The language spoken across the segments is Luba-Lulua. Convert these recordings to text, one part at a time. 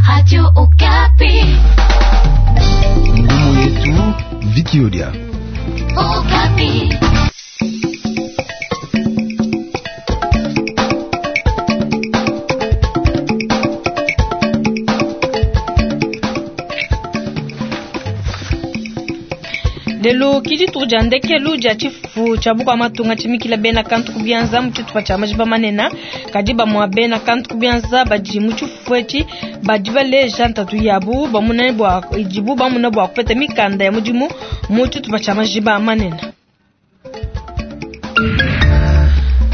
Radio Okapi. Ngumu yetu Vikiodia. Okapi. Lelo ki dituku dia ndekelu dia tshifufu tshia bukua matunga tshimikila bena kantu ku bianza mu tshitupa tshia majiba manene. Kadi bamue bena kantu ku bianza badi mu tshifufu etshi badi baleja ntatu yabu bamuna bua idibu bamuna bua kupeta mikanda ya mudimu mu tshitupa tshia majiba manene.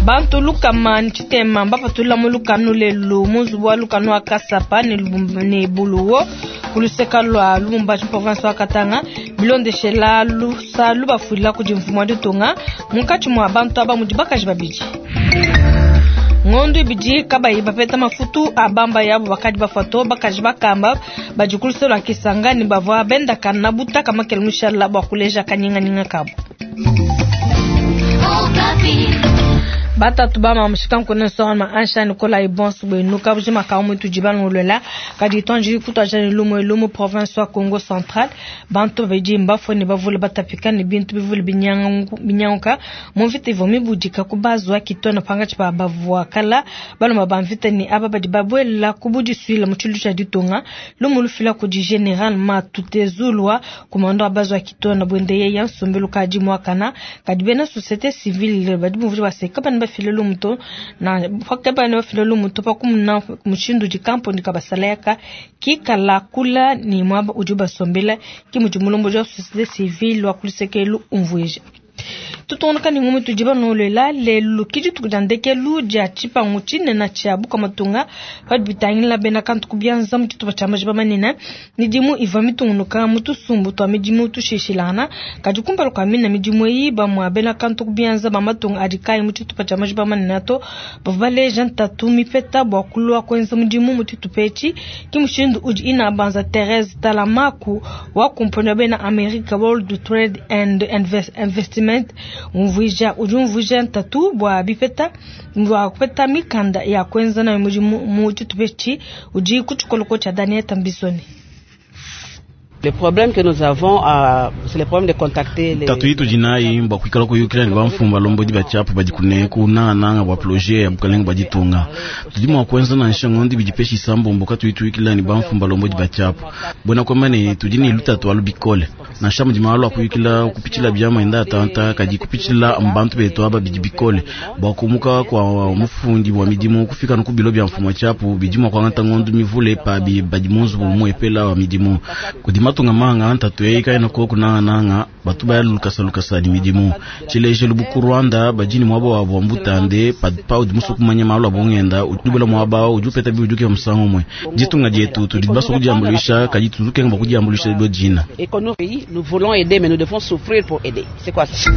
Bantu lukama ne tshitema mbapatula mu lukanu lelu mu nzubu wa lukanu wa Kasapa ne Buluwo ku luseka lua Lubumbashi province wa Katanga bilondeshela lusa lubafuila kudi mfumu wa ditunga. Munkatshi mua bantu aba mudi bakaji babidi. Ngondo ibidi kabayi bapeta mafutu a bamba yabo bakadi bafua to bakaji bakamba badi ku luse lua Kisangani bavua bendakana butaka makele mushala bua kuleja kanyinganyinga kabu. Batatu ba mamushika nkone nsonga ma ansha Nicolas Ibonso bwenu kabujima ka mutu jibalongolola kadi tonji kutwaja ne lumu lumu province wa Congo Central bantu babidi mbafue ne bavule batapika ne bintu bivule binyanguka mu mvita ivua mibudika ku bazwa kitona pangatshi pa bavua kala balomba ba mvita ne aba badi babuela ku budisuila mu tshilu tshia ditunga lumu lufila kudi General Matutezulwa komando wa bazwa kitona bwende yeya nsombelu kadi muakana kadi bena société civile badi bumvua baseka bana bafile lumuto na bana bafile lumuto pa kumuna mushindu di kamponi kabasalayaka kikala kula ni mwaba udi basombela ki mudi mulombo wa société civile wa kulisekelu umvuija. Tutondoka ni ngumi tujiba nolela lelu ki dituku dia ndekelu dia tshipangu tshinene tshia bukua matunga padi bitangila bena kantu ku bianza mu tshitupa tshia majiba manene midimu ivua mitungunuka mu tusumbu tua midimu tushishilangana kadi kumpala kua mina midimu eyi bamue bena kantu ku bianza ba matunga adi kayi mu tshitupa tshia majiba manene to bavua baleja ntatu mipeta bua kulua kuenza mudimu mu tshitupa etshi ki mushindu udi inabanza Therese Talamaku wa kumpani wa bena America World Trade and Investment umvuija udi umvuija ntatu bua bipeta bua kupeta mikanda ya kuenza nayo mudimu mu tshitupa etshi udi ku tshikoloko tshia Daniel Tambisoni. Le problème que nous avons, c'est le problème de contacter les... Tatu itu jinayi mbwa kuikala kuyukila ne bamfumu balombodi ba tshiapu badi kuneku nangananga bua projet ya bukalenge bua ditunga. Tudi mua kuenza nansha ngondo ibidi peshi isambombo katuyi tuyukila ne bamfumu balombodi ba tshiapu. Buena kuamba ne tudi ne lutatu alu bikole. Nansha mudi malu a kuyukila kupitshila biamu enda atanta kadi kupitshila bantu betu aba bidi bikole. Bua kumuka kua mufundi wa midimu kufika ku bilo bia mfumu wa tshiapu bidi mua kuangata ngondo mivule pabi badi mu nzubu muepela wa midimu. Kudi matunga manga ntatu eyi kayena koku nangananga batu baya lukasa lukasa ni midimu. Tshilejelu bu ku Rwanda badi ne muaba wabo wa mbutande paudi musue kumanya malu a bungenda udi muaba udi upeta biuduke musangu umue. Ditunga dietu tudi basue kudiambuluisha kadi tuzukenga bua kudiambuluisha bo dina. Et que nous, nous voulons aider mais nous devons souffrir pour aider. C'est quoi ça?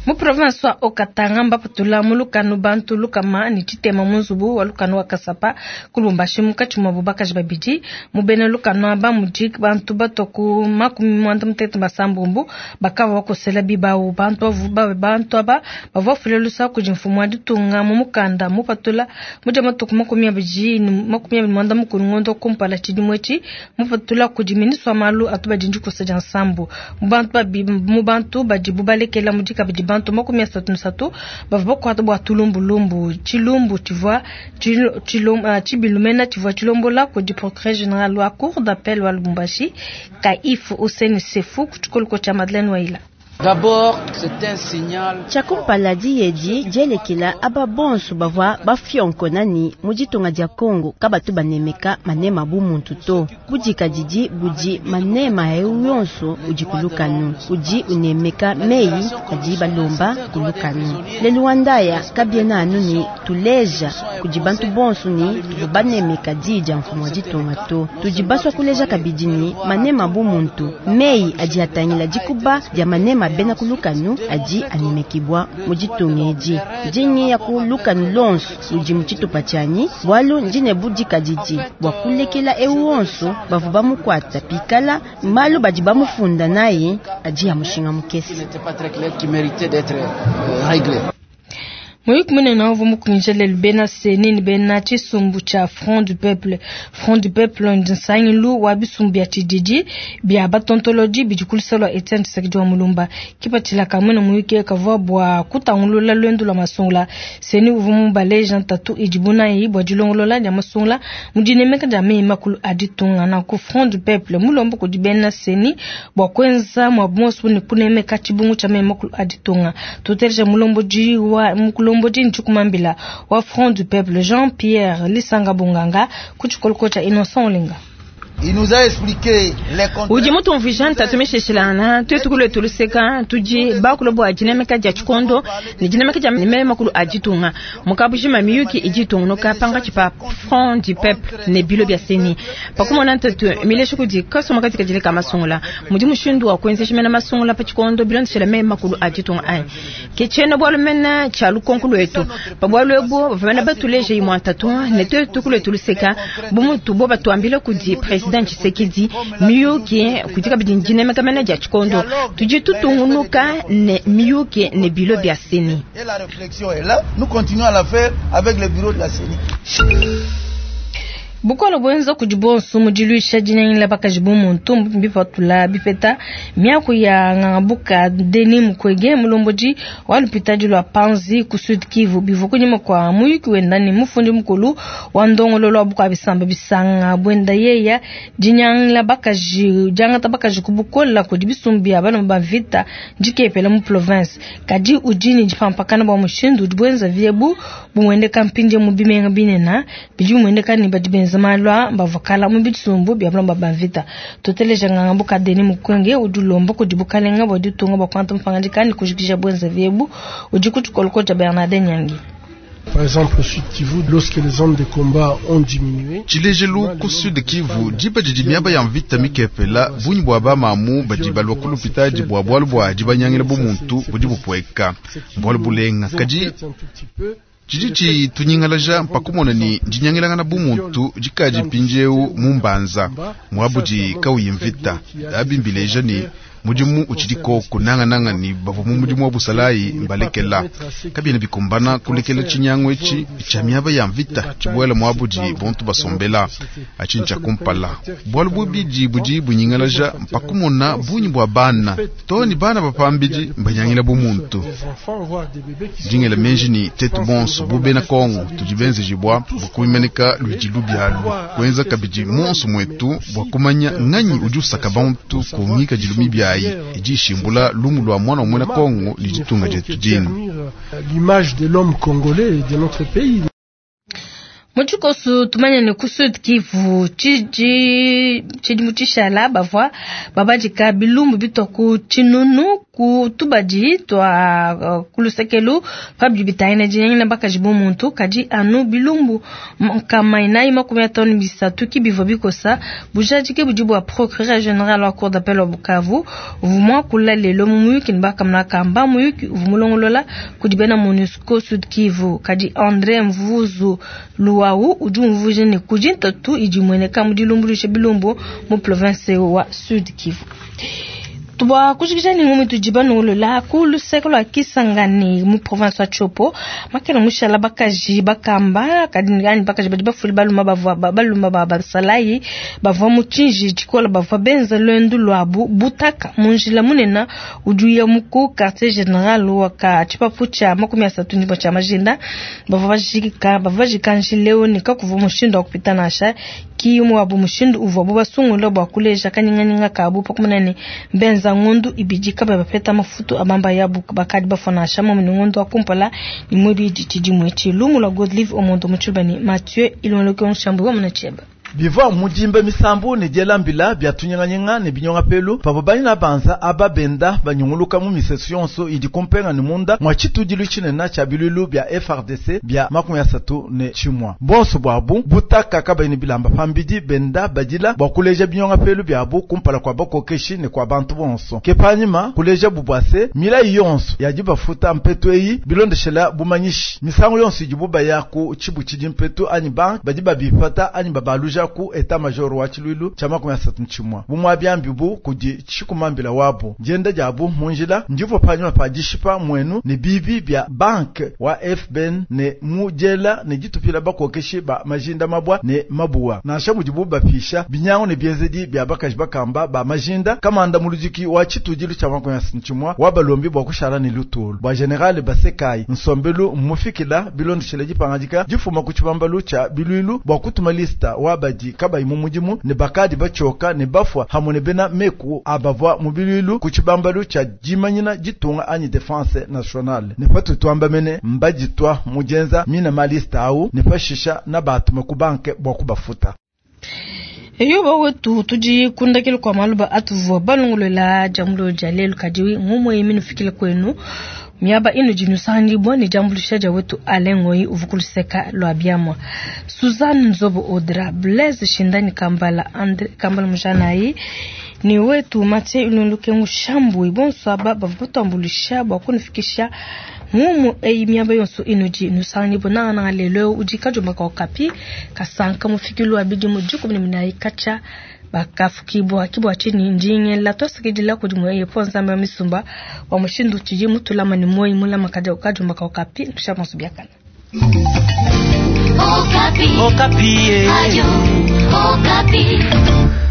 Mu province wa Haut-Katanga mbapatula mu lukanu bantu lukama ne tshitema mu nzubu wa lukanu wa Kasapa ku Lubumbashi munkatshi muabu bakaji babidi. Mu bena lukanu aba mudi bantu batua ku makumi muanda mutekete basambombo bakavua bakosela bibawu. Bantu bantu aba bavua bafile lusa kudi mfumu wa ditunga mu mukanda mupatula mu dia matuku 21 mukulu ngondo kumpala tshidimu etshi mupatula kudi ministre wa malu atu badi ndikosa dia nsambu. Mu bantu badibu balekela mudi kabidi bantu 33 bavua bakuata bua tulumbulumbu tshilumbu tshivua tshibilumena tshivua tshilombola kudi procureur général wa cour d'appel wa Lubumbashi Kaif Hussein Sefu ku tshikoloko tshia Madeleine Waila. D'abord, c'est un signal. Tshiakumpala diedi dielekela aba bonso bavua bafionkonani mu ditunga dia Congo kabatu banemeka manema bu muntu to. Budika didi budi manema eu yonso udi kulukanu udi unemeka meyi adi balomba kulukanu. Lelu wandaya kabiena anu ni tuleja kudi bantu bonso ni tuvu banemeka di dia mfumu wa ditunga to. Tudi basua kuleja kabidi ni manema bu muntu meyi adi atangila dikuba dia manema bena kulukanu adi anemekibwa mu ditunga edi. Ndingi ya kulukanu lonso ludi mu tshitupa tshianyi bualu ndine budika didi bua kulekela eu wonso bavua bamukuata pikala malu badi bamufunda naye adi ya mushinga mukese. Muyuki munene uvua mukunjija lelu bena CENI ne bena tshisumbu tshia Front du Peuple. Front du Peuple ndi nsangilu wa bisumbu bia tshididi bia batontolodi bidi ku luseke lua Etienne Tshisekedi wa Mulumba. Kipatshila ka muena muyuki kavua bua kutangulula luendu lua masungula. CENI uvua mubaleja ntatu idibu nayi bua dilongolola dia masungula mu dinemeka dia meyi makulu a ditunga. Nanku Front du Peuple mulomba kudi bena CENI bua kuenza muabu muonso ne kunemeka tshibungu tshia meyi makulu a ditunga. Tuteleja mulombodi wa mukulombodi Ntshikumambila wa Front du Peuple Jean-Pierre Lisanga Bonganga ku tshikoloko tshia Innocent Olenga. Udi mutumvuija ntatu mishilashilangana tuetu kulwetu luseka tudi bakula bua dinemeka dia tshikondo ne dinemeka dia meyi makulu a ditunga mukabujima miyuki idi itungunuka pankatshi pa Front du Peuple ne bilo bia CENI pakumona ntatu milesha kudi kasoma katikadile ka masungula mudi mushindu wa kuenzesha mena masungula pa tshikondo bilondeshela meyi makulu a ditunga anyi ke tshiena bualu mena tshia lukonko lwetu pa bualu ebu bavua mena batuleja imue ntatu ne tuetu kulwetu luseka bu mutu bo batuambila kudi President Tshisekedi miyuki kudi kabidi dinemeka mena dia tshikondo tudi tutungunuka ne miyuki ne bilo bia CENI. Et la réflexion est là, nous continuons à la faire avec le bureau de la CENI. Bukole buenza kudi bonso mu diluisha dinyangila bakaji bu muntu mbipatula bipeta miaku ya Ngangabuka Denis Mukwege mulombodi wa lupitadi lua Panzi ku Sud Kivu bivua kunyima kua muyuki wenda ne mufundi mukulu wa ndongololo wa bukua bisamba bisanga buenda yeya dinyangila bakaji diangata bakaji ku bukola kudi bisumbu bia bana ba vita ndikepela mu province kadi udi ne dipampakana bua mushindu udi buenza viebu bumuendeka mpindie mu bimenga binene bidi bimuendeka ne badi benza malwa bavakala mu bisumbu bia balomba ba mvita. Tuteleja Ngangabuka Denis Mukwege udi ulomba kudi bukalenga bua ditunga bua kuangata mapangadika ne kujikija buenza viebu udi ku tshikoloko tshia Bernardin Nyangi. Par exemple, au Sud Kivu, lorsque les zones de combat ont diminué, Tshilejelu ku Sud Kivu diba didi miaba ya mvita mikepela bungi bua bamamu badi balua ku lupitadi bua bualu bua dibanyangila bumuntu budi bupueka mbualu bulenga kadi tshidi tshitunyingalaja mpakumona ni dinyangilangana bumuntu dikadi mpindieu mu mbanza muabudi kauyi mvita abi mbileja ni mudimu utshidi koko nangananga ni bavua mu mudimu wa busalayi mbalekela kabiena bikumbana kulekela tshinyangu etshi tshia miaba ya mvita tshibuela muabudi bontu basombela atshi ntshia kumpala bualu bubidi budi bunyingalaja mpakumona bungi bua bana to ni bana bapambidi mbanyangila bumuntu dingela menji ni tetu bonso bu bena Kongo tudi benzejibwa bua kuimeneka luidi lubialu kuenza kabidi monso mwetu bua kumanya nganyi udi usaka bantu ku ngikadilu mibiayi idi ishimbula lumu lua mwana wa muena Kongo ni ditunga dietu dinu. l'image de l'homme congolais et de notre pays. Mu tshikoso tumanye ne ku Sud Kivu tshidi tshidimu tshishala bavua babadika bilumbu bitua ku tshinunu ku tubadi tua ku lusekelu pa bidi bitangila dinyangila bakaji bu muntu kadi anu bilumbu nkama inayi makumi atanu bisatu ki bivua bikosa bujadiki budi bua procureur général wa cour d'appel wa Bukavu uvua muakula lelo mu muyuki ne bakamuna kamba muyuki uvua mulongolola kudi bena MONUSCO Sud Kivu kadi André Mvuzu Luau udi umvuija ne kudi ntatu idi imueneka mu dilumbuluisha bilumbu mu province wa Sud Kivu. Tubwa kujikija ni ngumi tujiba nungolola ku luseke lua Kisangani mu province wa Tshopo makela mushala bakaji bakamba kadi ani bakaji badi bafuli baluma bavua baluma ba basalayi bavua mu tshinji tshikola bavua benza lwendu lwabu butaka mu njila munene udi uya mu ku quartier général wa ka tshipapu tshia 30 ndimbo tshia majinda bavua bajika njileo ne kakuvua mushindu wa kupita nansha ki wabu mushindu uvua bo basungula bua kuleja kanyinganyinga kabu pakumana ne mbenza ngondu ibidi kaba bapeta mafutu abamba yabu bakadi bafona shama mu ngondu wa kumpala ni mwibidi tshidimwe tshilumu la Godlive Omondo Mutshubani Mathieu Ilonloke Nshambu wa Munacheba. Bivua mudimba misambu ne dielambila bia tunyinganyinga ne binyonga pelu pavua banyina banza aba benda banyunguluka mu misesu yonso idi kumpenga ne munda mwa tshitudilu tshinene tshia bilulu bia FARDC bia 31 bonso bwabu butaka kabayi bilamba pambidi benda badila bua kuleja binyonga pelu biabu kumpala kwa bakokeshi ne kwa bantu bonso ke panyima kuleja bubwase milayi yonso yadi bafuta mpetu eyi bilondeshela bumanyishi misangu yonso idi bubaya ku tshibu tshidi mpetu anyi bank badi babipata anyi babaluja kumbusha ku etat major wa tshiluilu tshia 31 bu muabiambi bu kudi tshikumambila wabu dienda diabu mu njila ndivua panyima pa dishipa muenu ne bibi bia banke wa FBN ne mu diela ne ditupila bakokeshi ba majinda mabwa ne mabuwa nansha mudibu bapisha binyangu ne bienzedi bia bakaji bakamba ba majinda kamanda muludiki wa tshitudilu tshia 31 wa balombi bua kushala ne lutulu bua general Basekai nsombelu mmufikila bilondeshele dipangadika difuma ku tshibambalu tshia bilwilu bua kutuma lista wa badi kabayi mu mudimu ne bakadi bachoka ne bafwa hamwe ne bena meku abavwa mu bilwilu ku tshibambalu tshia dimanyina ditunga anyi defense nationale ne patu twamba mene mbaditwa mujenza mina malista au ne pashisha na batuma ku banke bua kubafuta. Eyo wetu tudi kundakile kwa maluba atuvua balongolela jamulo ja lelu kadi ngumwe minufikile kwenu miaba inu jinusangibwa ni jambulisha ja wetu alengoi uvukuluseka lwa biamwa Suzanne Nzobo Audra Blaise Shindani Kambala Andre Kambala Mujanayi ni wetu Mathieu Ilunduke Ngushambu bonso aba bavutambulisha bwa kunifikisha ngumu eyi miaba yonso inu jinusangibwa na na lelo ujika jumba kwa kapi kasanka mufikilu abidi mujuku ni minayi kacha bakafukibwa kibwa chini njinge la tosikidila kudi mwe ponza mba misumba wa mushindu chiji mutulama ni moyi mulama kaja ukajumba kwa kapi tusha biakana. Okapi. Okapi. Ayo, Okapi.